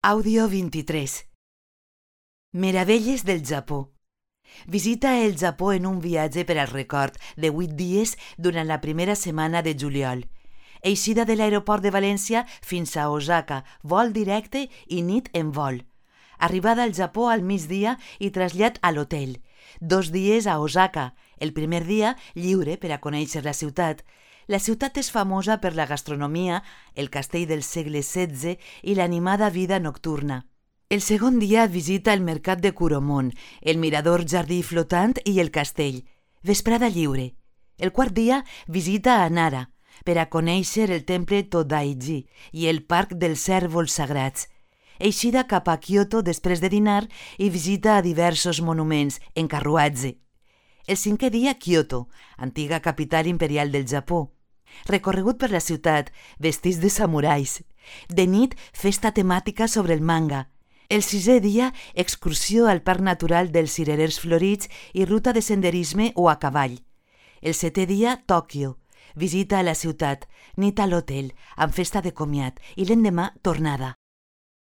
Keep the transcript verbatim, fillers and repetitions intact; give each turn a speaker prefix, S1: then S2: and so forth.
S1: Àudio vint-i-tres. Meravelles del Japó. Visita el Japó en un viatge per al record de vuit dies durant la primera setmana de juliol. Eixida de l'aeroport de València fins a Osaka, vol directe i nit en vol. Arribada al Japó al migdia i trasllat a l'hotel. Dos dies a Osaka, el primer dia lliure per a conèixer la ciutat. La ciutat és famosa per la gastronomia, el castell del segle setze i l'animada vida nocturna. El segon dia visita el mercat de Kuromon, el mirador jardí flotant i el castell. Vesprada lliure. El quart dia visita a Nara, per a conèixer el temple Todaiji i el parc dels cérvols sagrats. Eixida cap a Kyoto després de dinar i visita a diversos monuments en carruatge. El cinquè dia, Kyoto, antiga capital imperial del Japó. Recorregut per la ciutat, vestits de samurais. De nit, festa temàtica sobre el manga. El sisè dia, excursió al Parc Natural dels Cirerers Florits i ruta de senderisme o a cavall. El setè dia, Tòquio. Visita a la ciutat, nit a l'hotel, amb festa de comiat i l'endemà tornada.